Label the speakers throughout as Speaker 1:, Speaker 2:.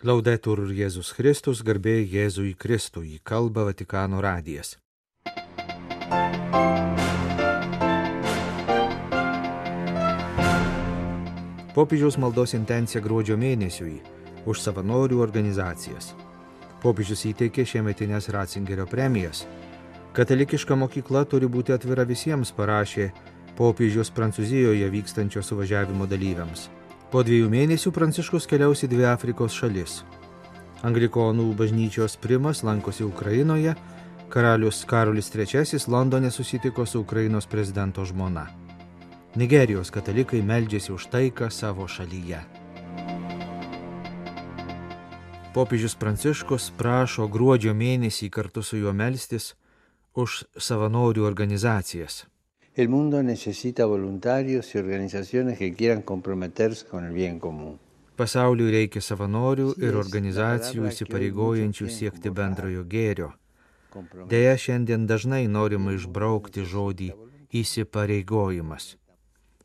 Speaker 1: Laudetur Jėzus Kristus, garbė Jėzui Kristui, kalba Vatikano radijas. Popiežiaus maldos intencija gruodžio mėnesiui už savanorių organizacijas. Popiežius įteikė šiemetinės Ratzingerio premijas. Katalikiška mokykla turi būti atvira visiems, parašė popiežius Prancūzijoje vykstančio suvažiavimo dalyviams. Po 2 mėnesių Pranciškus keliaus į 2 Afrikos šalis. Anglikonų bažnyčios primas lankosi Ukrainoje, karalius Karolis III Londone susitiko su Ukrainos prezidento žmona. Nigerijos katalikai meldžiasi už taiką savo šalyje. Popiežius Pranciškus prašo gruodžio mėnesį kartu su juo melstis už savanorių organizacijas.
Speaker 2: El mundo necesita voluntarios y organizaciones que quieran comprometerse con el bien común.
Speaker 1: Pasauliui reikia savanorių ir organizacijų įsipareigojančių siekti bendrojo gėrio. Deja, šiandien dažnai norima išbraukti žodį įsipareigojimas.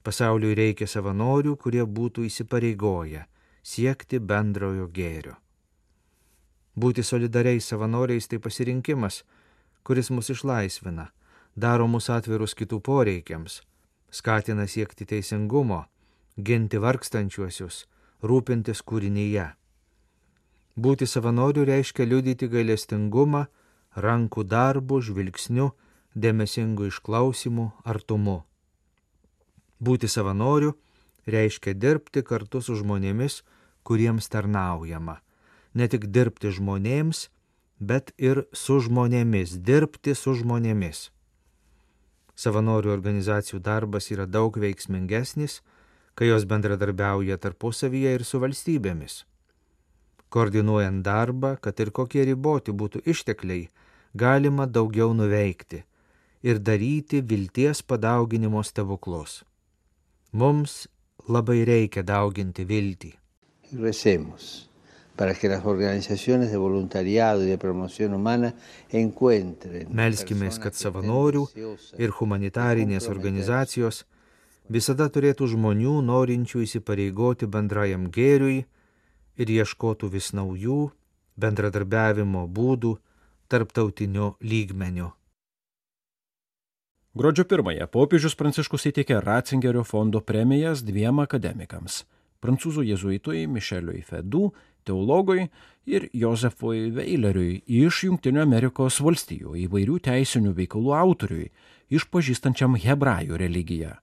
Speaker 1: Pasauliui reikia savanorių, kurie būtų įsipareigoję siekti bendrojo gėrio. Būti solidariais savanoriais tai pasirinkimas, kuris mus išlaisvina, daro mus atvirus kitų poreikiams, skatina siekti teisingumo, ginti vargstančiuosius, rūpintis kūrinyje. Būti savanoriu reiškia liudyti gailestingumą, rankų darbu, žvilgsniu, dėmesingu išklausimu, artumu. Būti savanoriu reiškia dirbti kartu su žmonėmis, kuriems tarnaujama. Ne tik dirbti žmonėms, bet ir su žmonėmis, dirbti su žmonėmis. Savanorių organizacijų darbas yra daug veiksmingesnis, kai jos bendradarbiauja tarpusavyje ir su valstybėmis. Koordinuojant darbą, kad ir kokie riboti būtų ištekliai, galima daugiau nuveikti ir daryti vilties padauginimo stebuklus. Mums labai reikia dauginti viltį.
Speaker 2: Recemos para que las organizaciones de voluntariado y de promoción humana encuentren.
Speaker 1: Melskimės, kad savanorių ir humanitarinės organizacijos visada turėtų žmonių, norinčių įsipareigoti bendrajam gėriui ir ieškotų vis naujų bendradarbiavimo būdų tarptautiniu lygmeniu.
Speaker 3: Gruodžio 1 popiežius Pranciškus įteikė Ratzingerio fondo premijas 2 akademikams – prancūzų jėzuitui Mišeliui Fedų, teologui ir Josefui Weileriui iš Jungtinių Amerikos valstijų įvairių teisinių veikalų autoriui, išpažįstančiam hebrajų religiją.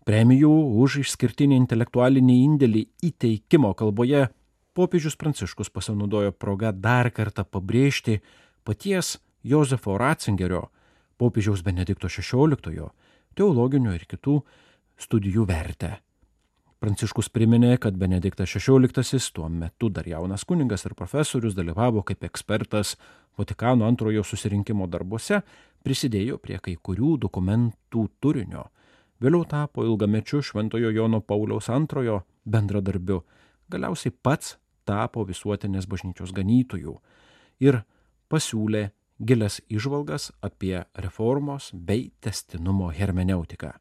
Speaker 3: Premijų už išskirtinį intelektualinį indėlį įteikimo kalboje popiežius Pranciškus pasinaudojo progą dar kartą pabrėžti paties Josefo Ratzingerio, popiežiaus Benedikto XVI, teologinių ir kitų studijų vertę. Pranciškus priminė, kad Benediktas XVI, tuo metu dar jaunas kunigas ir profesorius, dalyvavo kaip ekspertas Vatikano antrojo susirinkimo darbuose, prisidėjo prie kai kurių dokumentų turinio. Vėliau tapo ilgamečiu Šventojo Jono Pauliaus II bendradarbiu, galiausiai pats tapo visuotinės bažnyčios ganytojų ir pasiūlė gilias įžvalgas apie reformos bei tęstinumo hermeneutiką.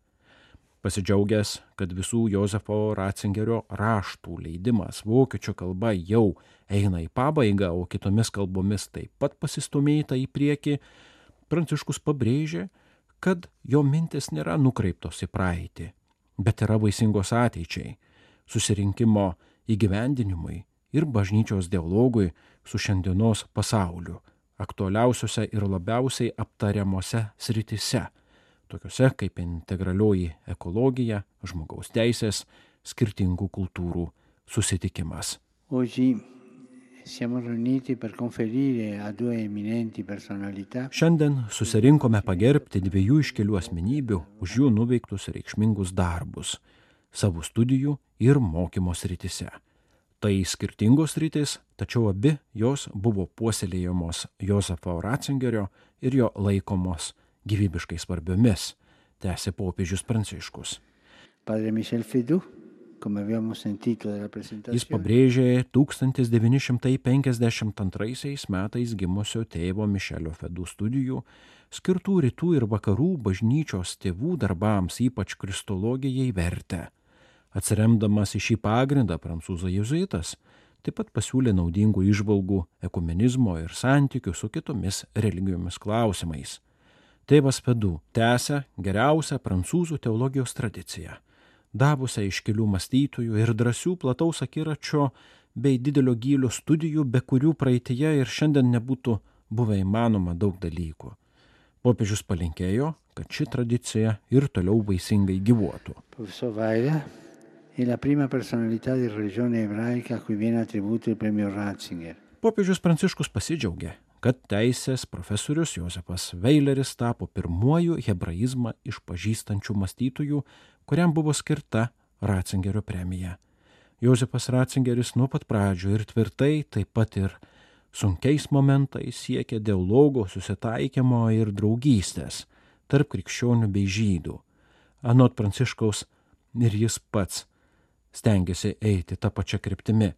Speaker 3: Pasidžiaugęs, kad visų Josefo Ratzingerio raštų leidimas vokiečių kalba jau eina į pabaigą, o kitomis kalbomis taip pat pasistumėta į priekį, Pranciškus pabrėžė, kad jo mintis nėra nukreiptos į praeitį, bet yra vaisingos ateičiai, susirinkimo įgyvendinimui ir bažnyčios dialogui su šiandienos pasauliu, aktualiausiose ir labiausiai aptariamose srityse, tokiuose kaip integralioji ekologija, žmogaus teisės, skirtingų kultūrų susitikimas. Šiandien susirinkome pagerbti 2 iškilių asmenybių už jų nuveiktus reikšmingus darbus, savo studijų ir mokymo srityse. Tai skirtingos sritys, tačiau abi jos buvo puoselėjamos Josefo Ratzingerio ir jo laikomos gyvybiškai svarbiomis, tęsė popiežius Pranciškus. Jis pabrėžė 1952 metais gimusio tėvo Mišelio Fedų studijų, skirtų rytų ir vakarų bažnyčios tėvų darbams, ypač kristologijai, vertę. Atsiremdamas į šį pagrindą, prancūzų jėzuitas Taip pat pasiūlė naudingų įžvalgų ekumenizmo ir santykių su kitomis religijomis klausimais. Tėvas Fedu tęsia geriausią prancūzų teologijos tradiciją, davusią iškilių mąstytojų ir drąsių plataus akiračio bei didelio gylio studijų, be kurių praeityje ir šiandien nebūtų buvę įmanoma daug dalykų. Popiežius palinkėjo, kad ši tradicija ir toliau vaisingai gyvuotų.
Speaker 2: Profesor Weiler è la prima personalità di religione ebraica a cui viene attribuito il premio Ratzinger.
Speaker 3: Popiežius Pranciškus pasidžiaugė, kad teisės profesorius Jozepas Weileris tapo pirmuoju hebraizmą išpažįstančių mąstytojų, kuriam buvo skirta Ratzingerio premija. Jozepas Ratzingeris nuo pat pradžių ir tvirtai, taip pat ir sunkiais momentais siekė dialogo, susitaikymo ir draugystės tarp krikščionių bei žydų. Anot Pranciškaus ir jis pats stengiasi eiti tą pačią kryptimi.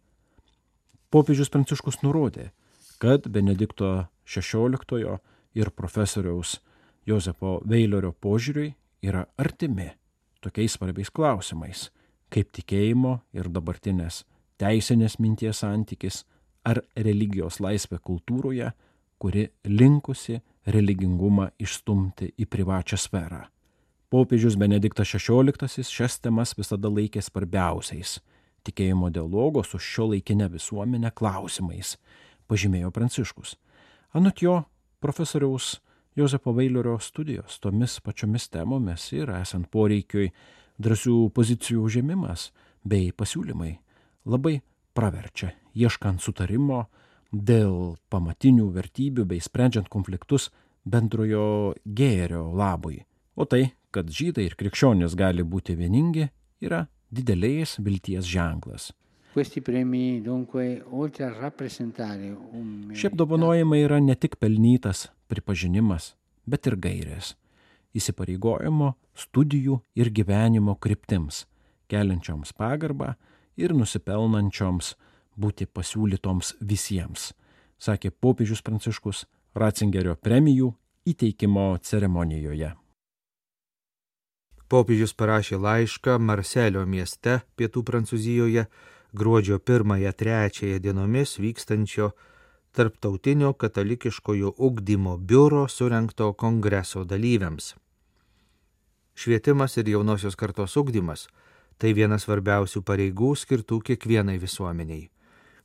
Speaker 3: Popiežius Pranciškus nurodė, kad Benedikto XVI ir profesoriaus Jozepo Weilerio požiūriui yra artimi tokiais svarbiais klausimais, kaip tikėjimo ir dabartinės teisinės minties santykis ar religijos laisvė kultūroje, kuri linkusi religingumą išstumti į privačią sferą. Popiežius Benediktas XVI šias temas visada laikė svarbiausiais tikėjimo dialogo su šiuolaikine visuomenė klausimais, pažymėjo Pranciškus. Anot jo, profesoriaus Jozepo Weilerio studijos tomis pačiomis temomis ir esant poreikiui drąsių pozicijų užėmimas bei pasiūlymai labai praverčia, ieškant sutarimo dėl pamatinių vertybių bei sprendžiant konfliktus bendrojo gėrio labui. O tai, kad žydai ir krikščionys gali būti vieningi, yra didelės vilties ženklas. Šie apdovanojimai yra ne tik pelnytas pripažinimas, bet ir gairės, įsipareigojimo, studijų ir gyvenimo kryptims, keliančioms pagarbą ir nusipelnančioms būti pasiūlytoms visiems, sakė popiežius Pranciškus Ratzingerio premijų įteikimo ceremonijoje.
Speaker 1: Popiežius parašė laišką Marselio mieste, pietų Prancūzijoje, gruodžio 1-3 dienomis vykstančio Tarptautinio katalikiškojo ugdymo biuro surengto kongreso dalyviams. Švietimas ir jaunosios kartos ugdymas – tai vienas svarbiausių pareigų skirtų kiekvienai visuomeniai.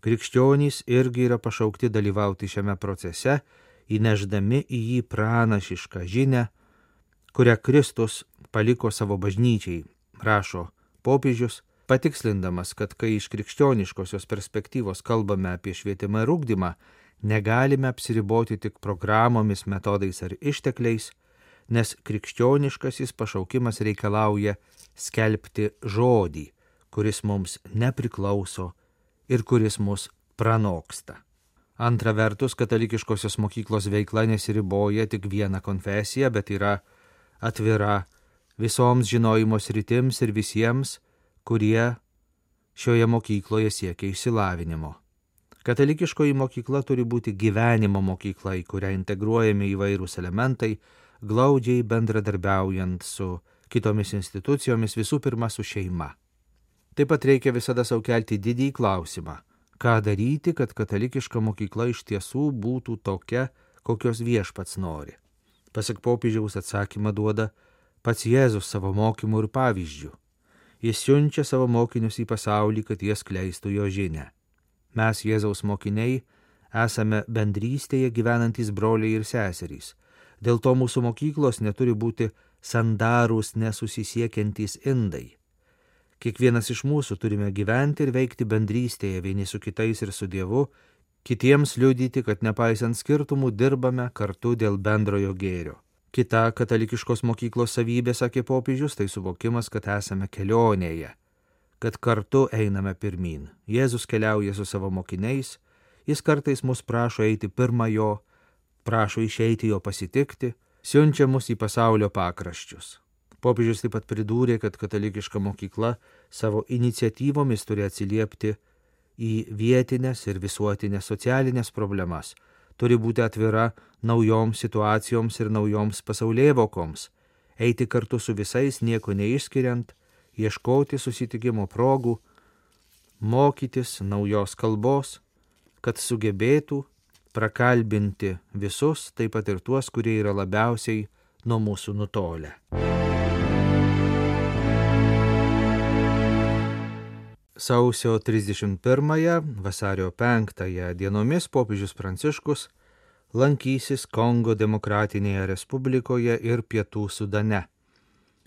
Speaker 1: Krikščionys irgi yra pašaukti dalyvauti šiame procese, įnešdami į jį pranašišką žinią, kurią Kristus paliko savo bažnyčiai, rašo popiežius, patikslindamas, kad kai iš krikščioniškosios perspektyvos kalbame apie švietimą ir ugdymą, negalime apsiriboti tik programomis, metodais ar ištekliais, nes krikščioniškasis pašaukimas reikalauja skelbti žodį, kuris mums nepriklauso ir kuris mus pranoksta. Antra vertus, katalikiškosios mokyklos veikla nesiriboja tik vieną konfesiją, bet yra atvira visoms žinojimo sritims ir visiems, kurie šioje mokykloje siekia išsilavinimo. Katalikiškoji mokykla turi būti gyvenimo mokykla, į kurią integruojami įvairūs elementai, glaudžiai bendradarbiaujant su kitomis institucijomis, visų pirma su šeima. Taip pat reikia visada sau kelti didįjį klausimą, ką daryti, kad katalikiška mokykla iš tiesų būtų tokia, kokios viešpats nori. Pasak popiežiaus atsakymą duoda pats Jėzus savo mokymu ir pavyzdžiu. Jis siunčia savo mokinius į pasaulį, kad jie skleistų jo žinią. Mes, Jėzaus mokiniai, esame bendrystėje gyvenantys broliai ir seserys. Dėl to mūsų mokyklos neturi būti sandarūs nesusisiekiantys indai. Kiekvienas iš mūsų turime gyventi ir veikti bendrystėje vieni su kitais ir su Dievu, kitiems liudyti, kad nepaisant skirtumų dirbame kartu dėl bendrojo gėrio. Kita katalikiškos mokyklos savybė, sakė popiežius, tai suvokimas, kad esame kelionėje, kad kartu einame pirmyn. Jėzus keliauja su savo mokiniais, jis kartais mus prašo eiti pirma jo, prašo išeiti jo pasitikti, siunčia mus į pasaulio pakraščius. Popiežius taip pat pridūrė, kad katalikiška mokykla savo iniciatyvomis turi atsiliepti į vietinės ir visuotinės socialinės problemas, turi būti atvira naujoms situacijoms ir naujoms pasaulėvokoms, eiti kartu su visais, nieko neišskiriant, ieškoti susitikimo progų, mokytis naujos kalbos, kad sugebėtų prakalbinti visus, taip pat ir tuos, kurie yra labiausiai nuo mūsų nutolę. Sausio 31, vasario 5 dienomis popiežius Pranciškus lankysis Kongo Demokratinėje Respublikoje ir Pietų Sudane.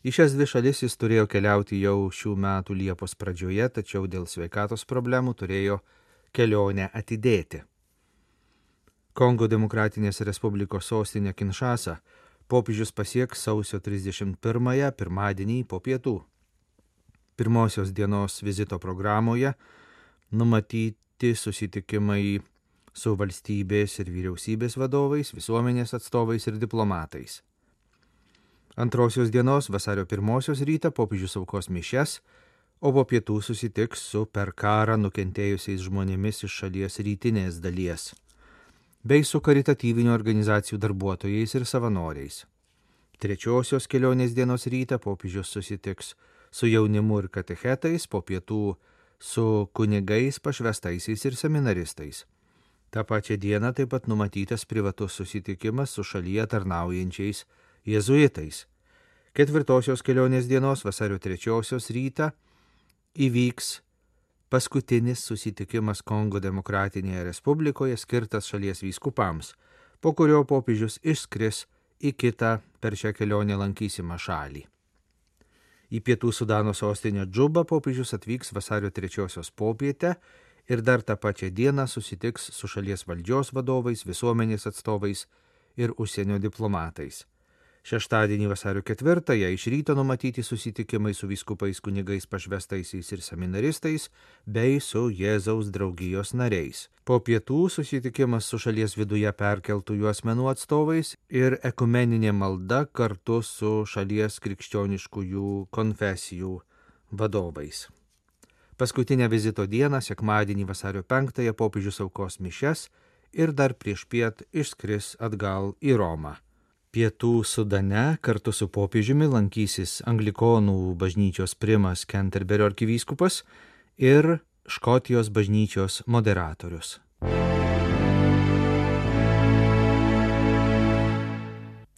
Speaker 1: Į šias dvi šalis jis turėjo keliauti jau šių metų Liepos pradžioje, tačiau dėl sveikatos problemų turėjo kelionę atidėti. Kongo Demokratinės Respublikos sostinę Kinšasą popiežius pasieks sausio 31, pirmadienį po pietų. Pirmosios dienos vizito programoje numatyti susitikimai su valstybės ir vyriausybės vadovais, visuomenės atstovais ir diplomatais. Antrosios dienos vasario 1 rytą popiežius aukos mišias, o po pietų susitiks su per karą nukentėjusiais žmonėmis iš šalies rytinės dalies, bei su karitatyvinių organizacijų darbuotojais ir savanoriais. Trečiosios kelionės dienos rytą popiežius susitiks su jaunimu ir katechetais, po pietų su kunigais, pašvestaisiais ir seminaristais. Ta pačia diena taip pat numatytas privatus susitikimas su šalyje tarnaujančiais jėzuitais. Ketvirtosios kelionės dienos vasario 3 rytą įvyks paskutinis susitikimas Kongo Demokratinėje Respublikoje skirtas šalies vyskupams, po kurio popiežius išskris į kitą per šią kelionę lankysimą šalį. Į Pietų Sudano sostinę Džubą popiežius atvyks vasario 3 popietę ir dar tą pačią dieną susitiks su šalies valdžios vadovais, visuomenės atstovais ir užsienio diplomatais. Šeštadienį vasario 4 iš ryto numatyti susitikimai su vyskupais, kunigais, pašvestaisiais ir seminaristais bei su Jėzaus draugijos nariais. Po pietų susitikimas su šalies viduje perkeltųjų asmenų atstovais ir ekumeninė malda kartu su šalies krikščioniškųjų konfesijų vadovais. Paskutinę vizito dieną, sekmadienį vasario 5 popiežius aukos mišias ir dar priešpiet išskris atgal į Romą. Pietų Sudane kartu su popiežiumi lankysis Anglikonų bažnyčios primas Kenterberio arkivyskupas ir Škotijos bažnyčios moderatorius.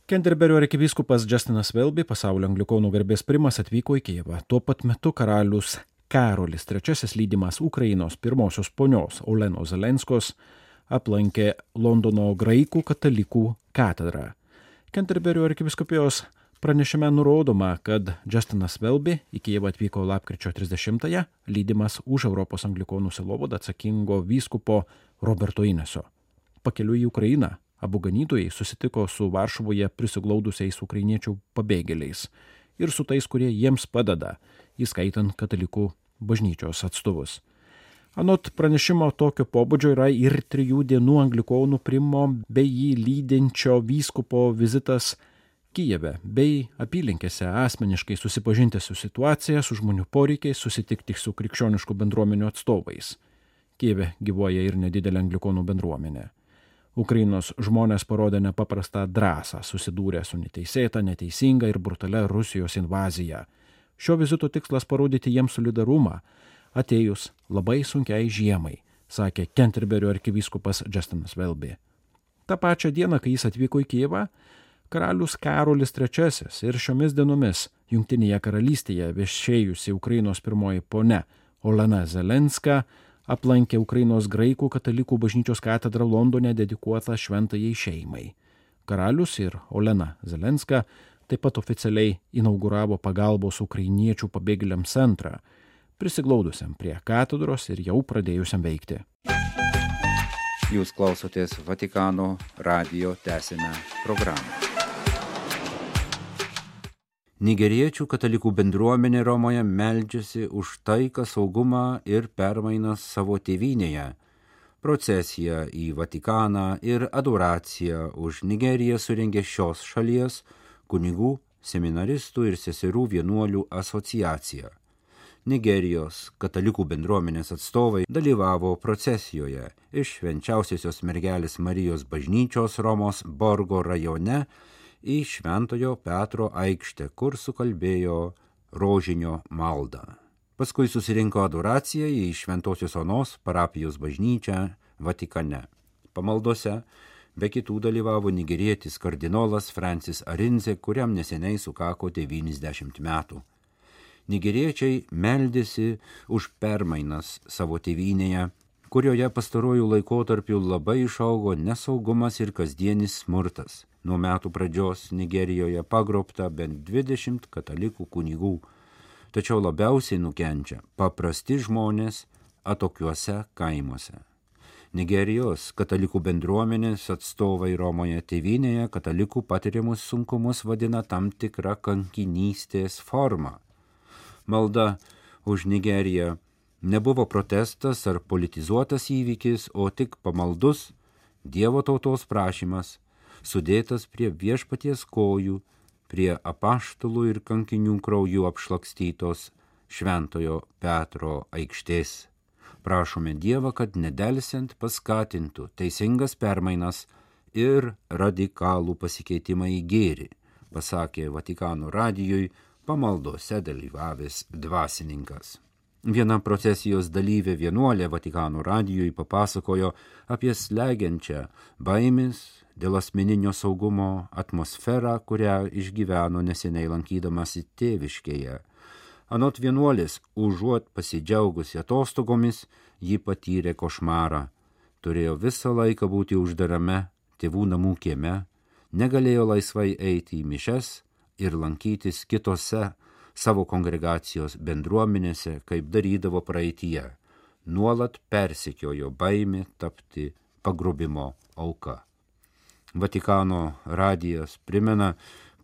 Speaker 3: Kenterberio arkivyskupas Justinas Welby, pasaulio anglikonų garbės primas, atvyko į Kijevą. Tuo pat metu karalius Karolis III, lydimas Ukrainos pirmosios ponios Olenos Zelenskos, aplankė Londono graikų katalikų katedrą. Kenterberio arkivyskupijos pranešime nurodoma, kad Justinas Welby į Kijevą atvyko lapkričio 30-ąją, lydimas už Europos anglikonų sielovadą atsakingo vyskupo Roberto Ineso. Pakeliui į Ukrainą abu ganytojai susitiko su Varšuvoje prisiglaudusiais ukrainiečių pabėgėliais ir su tais, kurie jiems padeda, įskaitant katalikų bažnyčios atstovus. Anot pranešimo tokio pobūdžio yra ir 3 dienų anglikonų primo bei jį lydinčio vyskupo vizitas Kijeve bei apylinkėse asmeniškai susipažinti su situacija, su žmonių poreikiais, susitikti su krikščioniškų bendruomenių atstovais. Kijeve gyvuoja ir nedidelė anglikonų bendruomenė. Ukrainos žmonės parodė nepaprastą drąsą, susidūrė su neteisėta, neteisinga ir brutalia Rusijos invazija. Šio vizito tikslas parodyti jiems solidarumą, atėjus labai sunkiai žiemai, sakė Kenterberio arkivyskupas Justinas Welby. Ta pačia diena, kai jis atvyko į Kijevą, karalius Karolis III ir šiomis dienomis Jungtinėje karalystėje viešėjusi Ukrainos pirmoji ponia Olena Zelenska aplankė Ukrainos graikų katalikų bažnyčios katedrą Londone dedikuotą šventajai šeimai. Karalius ir Olena Zelenska taip pat oficialiai inauguravo pagalbos ukrainiečių pabėgėliams centrą, prisiglaudusiam prie katedros ir jau pradėjusiam veikti.
Speaker 4: Jūs klausotės Vatikano radijo tęsinę programą. Nigeriečių katalikų bendruomenė Romoje meldžiasi už taiką, saugumą ir permainas savo tėvynėje. Procesiją į Vatikaną ir adoraciją už Nigeriją surengė šios šalies kunigų, seminaristų ir seserų vienuolių asociacija. Nigerijos katalikų bendruomenės atstovai dalyvavo procesijoje iš Švenčiausiosios mergelės Marijos bažnyčios Romos Borgo rajone į Šventojo Petro aikštę, kur sukalbėjo rožinio maldą. Paskui susirinko adoracija į Šventosios Onos parapijos bažnyčią Vatikane. Pamaldose be kitų dalyvavo nigerietis kardinolas Francis Arinze, kuriam neseniai sukako 90 metų. Nigeriečiai meldėsi už permainas savo tėvynėje, kurioje pastaruoju laikotarpiu labai išaugo nesaugumas ir kasdienis smurtas. Nuo metų pradžios Nigerijoje pagrobta bent 20 katalikų kunigų, tačiau labiausiai nukenčia paprasti žmonės atokiuose kaimuose. Nigerijos katalikų bendruomenės atstovai Romoje tėvynėje katalikų patiriamus sunkumus vadina tam tikrą kankinystės formą. Malda už Nigeriją nebuvo protestas ar politizuotas įvykis, o tik pamaldus Dievo tautos prašymas, sudėtas prie viešpaties kojų, prie apaštalų ir kankinių krauju apšlakstytos Šventojo Petro aikštės. Prašome Dievą, kad nedelsiant paskatintų teisingas permainas ir radikalų pasikeitimą į gėrį, pasakė Vatikano radijui pamaldose dalyvavęs dvasininkas. Viena procesijos dalyvė vienuolė Vatikano radijui papasakojo apie slegiančią baimės dėl asmeninio saugumo atmosferą, kurią išgyveno neseniai lankydamasi tėviškėje. Anot vienuolės, užuot pasidžiaugusi atostogomis, ji patyrė košmarą. Turėjo visą laiką būti uždarame tėvų namų kieme, negalėjo laisvai eiti į mišias ir lankytis kitose savo kongregacijos bendruomenėse, kaip darydavo praeityje. Nuolat persekiojo baimė tapti pagrobimo auka. Vatikano radijas primena,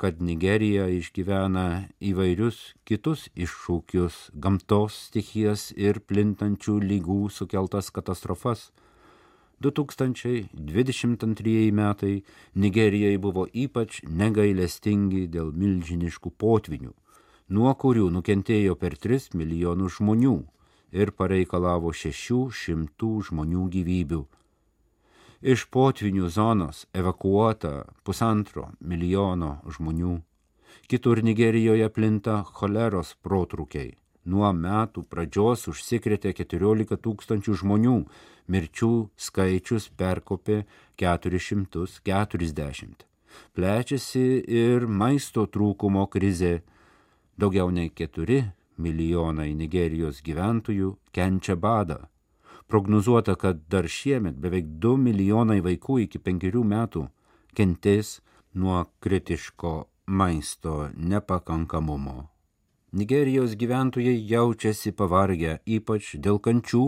Speaker 4: kad Nigerija išgyvena įvairius kitus iššūkius, gamtos stichijas ir plintančių lygų sukeltas katastrofas. 2022 metai Nigerijai buvo ypač negailestingi dėl milžiniškų potvinių, nuo kurių nukentėjo per 3 milijonus žmonių ir pareikalavo 600 žmonių gyvybių. Iš potvinių zonos evakuota 1,5 milijono žmonių. Kitur Nigerijoje plinta choleros protrūkiai. Nuo metų pradžios užsikrėtė 14 000 žmonių, mirčių skaičius perkopė 440. Plečiasi ir maisto trūkumo krizė. Daugiau nei 4 milijonai Nigerijos gyventojų kenčia badą. Prognozuota, kad dar šiemet beveik 2 milijonai vaikų iki 5 metų kentės nuo kritiško maisto nepakankamumo. Nigerijos gyventojai jaučiasi pavargę, ypač dėl kančių,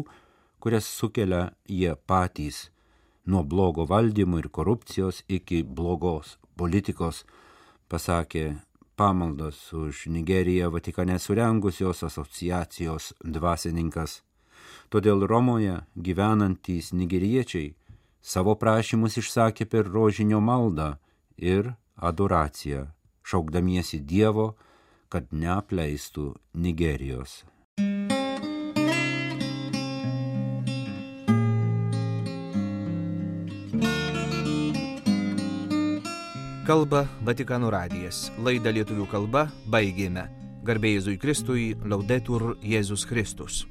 Speaker 4: kurias sukelia jie patys, nuo blogo valdymo ir korupcijos iki blogos politikos, pasakė pamaldas už Nigeriją Vatikane surengusios asociacijos dvasininkas. Todėl Romoje gyvenantys nigeriečiai savo prašymus išsakė per rožinio maldą ir adoraciją, šaukdamiesi Dievo, kad neapleistų Nigerijos.
Speaker 1: Kalba Vatikano radijas. Laidą lietuvių kalba baigėme. Garbė Jėzui Kristui, Laudetur Jėzus Kristus.